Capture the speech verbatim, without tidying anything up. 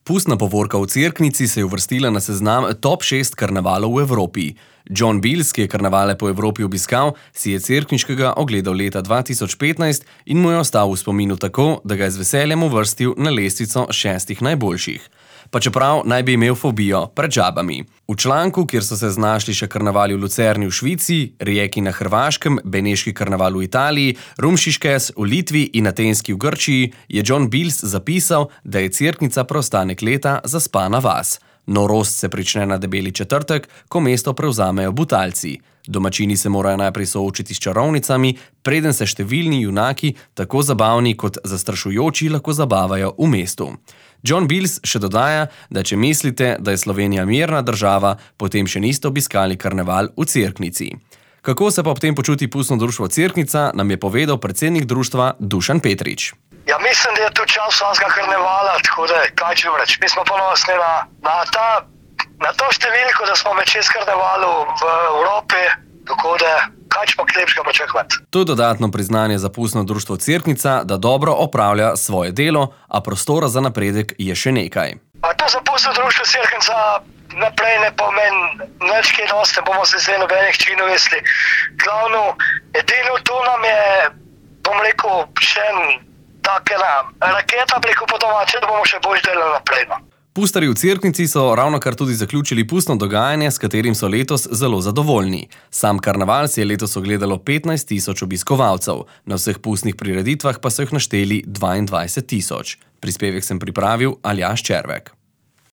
Pustna povorka v Cerknici se je uvrstila na seznam top šest karnevalov v Evropi. John Bills, ki je karnevale po Evropi obiskal, si je cerkniškega ogledal leta dva tisoč petnajst in mu je ostal v spominu tako, da ga je z veseljem uvrstil na lestvico šestih najboljših. Pa čeprav naj bi imel fobijo pred žabami. V članku, kjer so se znašli še karnevali v Lucerni v Švici, Rijeki na Hrvaškem, Beneški karneval v Italiji, Rumšiškes v Litvi in Atenski v Grčiji, je John Bills zapisal, da je Cerknica preostanek leta zaspana vas. Norost se prične na debeli četrtek, ko mesto prevzamejo Butalci. Domačini se morajo najprej soočiti s čarovnicami, preden se številni junaki, tako zabavni kot zastrašujoči, lahko zabavajo v mestu. John Bills še dodaja, da če mislite, da je Slovenija mirna država, potem še niste obiskali karneval v Cerknici. Kako se pa ob tem počuti pustno društvo Cerknica, nam je povedal predsednik društva Dušan Petrič. Ja, mislim, da je to čas vsakega karnevala, tako da kaj če vreč. Mi smo ponosni na, na, ta, na to številko, da smo med šest karnevalov v Evropi, tako da kaj če pa klepška pričakovati. To je dodatno priznanje za pustno društvo Cerknica, da dobro opravlja svoje delo, a prostora za napredek je še nekaj. A to za pustno društvo Cerknica naprej ne pomeni nič kaj dosti, ne bomo se zdaj nobenih činov vesli. Glavno, edino to nam je, bom rekel, še en takena raketa preko po domače, da bomo še bolj delali naprej. No. Pustarji v Cerknici so ravnokar tudi zaključili pustno dogajanje, s katerim so letos zelo zadovoljni. Sam karneval si je letos ogledalo petnajst tisoč obiskovalcev, na vseh pustnih prireditvah pa so jih našteli dvaindvajset tisoč. Prispevek sem pripravil Aljaž Červek.